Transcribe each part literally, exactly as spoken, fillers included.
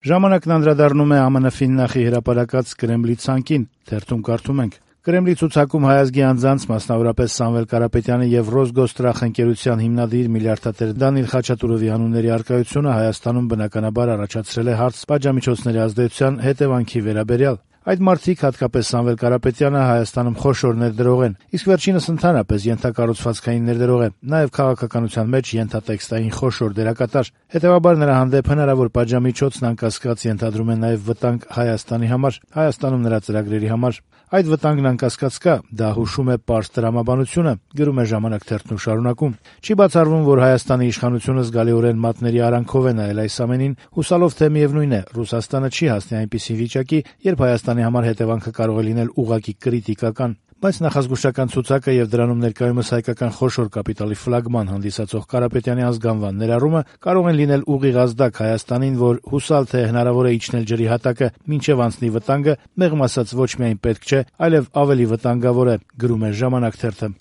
Ժամանակն անդրադառնում է ԱՄՆ Ֆիննախի հրապարակած Կրեմլի ցանկին, թերթում կարդում ենք. Կրեմլի ցուցակում հայազգի անձանց, մասնավորապես Սամվել Կարապետյանի եւ Ռոսգոստրախ ընկերության հիմնադիր միլիարդատեր Դանիիլ Խաչատուրովի անունների առկայությունը Հայաստանում բնականաբար առաջացրել է հարց պատժամիջոցների ազդեցության հետևանքի վերաբերյալ։ Այդ մարդիկ, հատկապես Սամվել Կարապետյանը, Հայաստանում խոշոր ներդրող են, իսկ վերջինս ընդհանրապես ենթակառուցվածքային ներդրող է, նաեւ քաղաքականության մեջ ենթատեքստային խոշոր դերակատար։ Հետեւաբար նրա հանդեպ հնարավոր պատժամիջոցն անկասկած ենթադրում է նաեւ վտանգ Հայաստանի համար, Հայաստանում նրա ծրագրերի համար։ Այդ վտանգն անկասկած կա, դա հուշում է պարզ տրամաբանությունը, գրում է «Ժամանակ» թերթն ու շարունակում։ Չի բացառվում, որ Հայաստանի իշխանությունը զգալիորեն մատների արանքով է նայել այս ամենին, հուսալով, թե միևնույն է, Ռուսաստանը չի հասնի այնպիսի վիճակի, երբ Հայաստանի համար հետևանքը կարող է լինել ուղղակի կրիտիկական։ Բայց նախազգուշական ցուցակը եւ դրանում ներկայումս հայկական խոշոր կապիտալի ֆլագման հանդիսացող Կարապետյանի ազգանվան ներառումը կարող են լինել ուղիղ ազդակ Հայաստանին, որ հուսալ թե հնարավոր է իջնել ջրի հատակը մինչեւ անցնի վտանգը, մեղմ ասած ոչ միայն պետք չէ, այլև ավելի վտանգավոր է, գրում է «Ժամանակ» թերթը։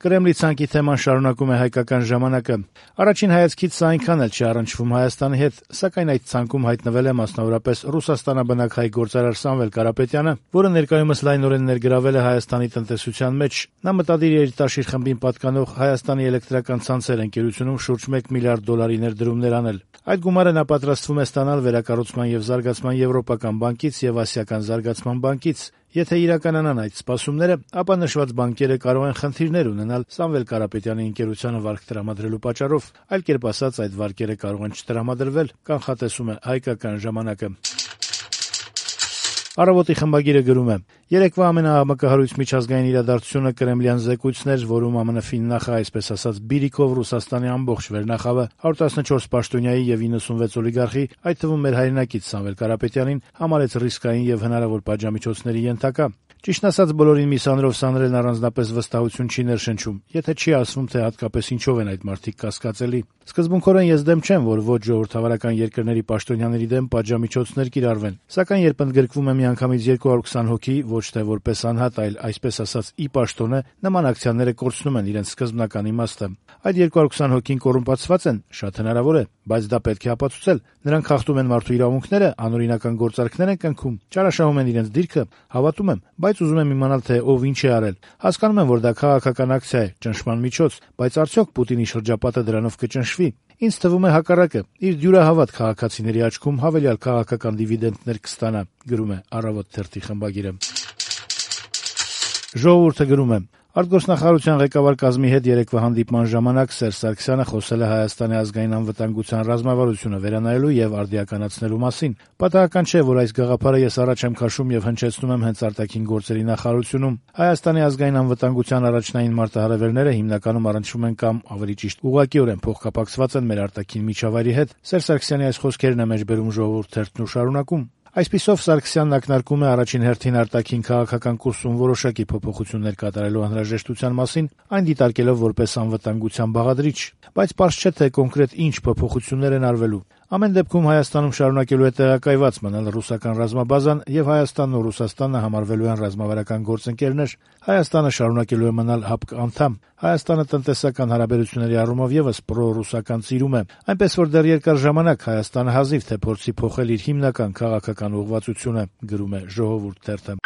Կրեմլի ցանկի թեման շարունակում է «Հայկական ժամանակը»։ Առաջին հայացքից սա այնքան էլ չի առնչվում Հայաստանի հետ, սակայն այդ ցանկում հայտնվել է մասնավորապես Ռուսաստանաբնակ հայ գործարար Սամվել Կարապետյանը, որը ներկայումս լայնորեն ներգրավել է Հայաստանի տնտեսության մեջ։ Նա մտադիր է իր տաշիր խմբին պատկանող Հայաստանի էլեկտրական ցանցեր ընկերությունում շուրջ մեկ միլիարդ դոլարի ներդրումներ անել։ Այդ գումարը նա պատրաստվում է ստանալ Վերակառուցման եւ զարգացման եվրոպական բանկից եւ Ասիական զարգացման բանկից։ Եթե իրականանան այդ սպասումները, ապա նշված բանկերը կարող են խնդիրներ ունենալ Սամվել Կարապետյանի ընկերությանը վարկ տրամադրելու պատճառով, այլ կերպ ասած, այդ վարկերը կարող են չտրամադրվել, կանխատեսում է «Հայկական ժամանակը»։ Առավոտի խմբագիրը գրում է. երեկվա ամենաամակահարույց միջազգային իրադարձությունը կրեմլյան զեկույցն էր, որում ԱՄՆ Ֆիննախը, այսպես ասած, բիրիկով Ռուսաստանի ամբողջ վերնախավը one fourteen պաշտոնյայի եւ ninety-six օլիգարխի, այդ թվում մեր հայրենակից Սամվել Կարապետյանին, համարեց ռիսկային եւ հնարավոր պատժամիջոցների ենթակա։ Ճիշտն ասած, բոլորին մի սանրով սանրելն առանձնապես վստահություն չի ներշնչում, եթե չի ասվում, թե հատկապես ինչով են այդ մարդիկ կասկածելի։ Սկզբունքորեն ես դեմ չեմ, որ ոչ ժողովրդավարական երկրների պաշտոնյաների դեմ պատժամիջոցներ կիրառվեն, սակայն երբ ընդգրկվում է միանգամից two hundred twenty հոգի, ոչ թե որպես անհատ, այլ այսպես ասած ի պաշտոնը, նման ակցիաները կորցնում են իրենց սկզբնական իմաստը։ Այդ two hundred twenty հոգին կոռումպացված են, շատ հնարավոր է, բայց դա պետք է ապացուցել։ Նրանք խախտում են մարդու իրավունքները, անօրինական գործարքներ են կնքում, չարաշահում են իրենց դիրքը, հավատում եմ, բայց ուզում եմ իմանալ, թե ով ինչ է արել։ Հասկանում եմ, որ դա քաղաքական ակցիա է, ճնշման միջոց, բայց արդյոք Պուտինի շրջապատը դրանով կճնշվի։ Ինձ թվում է հակառակը, իր դյուրահավատ քաղաքացիների աչքում հավելյալ քաղաքական դիվիդենտներ կստանա, գրում է «Առավոտ» թերթի խմբագիրը։ Ժողովուրդը գրում է. Արտգործնախարարության ղեկավար կազմի հետ երեկվա հանդիպման ժամանակ Սերժ Սարգսյանը խոսել է Հայաստանի ազգային անվտանգության ռազմավարությունը վերանայելու եւ արդիականացնելու մասին։ Պատահական չէ, որ այս գաղափարը ես առաջ եմ քաշում եւ հնչեցնում եմ հենց արտաքին գործերի նախարարությունում։ Հայաստանի ազգային անվտանգության առաջնային մարտահրավերները հիմնականում առնչվում են կամ ավելի ճիշտ ուղղակիորեն փոխկապակցված են մեր արտաքին միջավայրի հետ։ Սերժ Սարգսյանի այս խոսքերն է մեջբերում «Ժողովուրդ» թերթն ու շարունակում. Այսպիսով Սարգսյանն ակնարկում է առաջին հերթին արտաքին քաղաքական կուրսում որոշակի փոփոխություններ կատարելու անհրաժեշտության մասին, այն դիտարկելով որպես անվտանգության բաղադրիչ, բայց պարզ չէ, թե կոնկրետ ինչ փոփոխություններ են արվելու։ Ամեն դեպքում Հայաստանում շարունակելու է տեղակայված մնալ ռուսական ռազմաբազան եւ Հայաստանն ու Ռուսաստանը համարվելու են ռազմավարական գործընկերներ։ Հայաստանը շարունակելու է մնալ ՀԱՊԿ անդամ։ Հայաստանը տնտեսական հարաբերությունների առումով եւս պրո-ռուսական ծիրում է, այնպես որ դեռ երկար ժամանակ Հայաստանը հազիվ թե փորձի փոխել իր հիմնական քաղաքական ուղղվածությունը, գրում է «Ժողովուրդ» թերթը։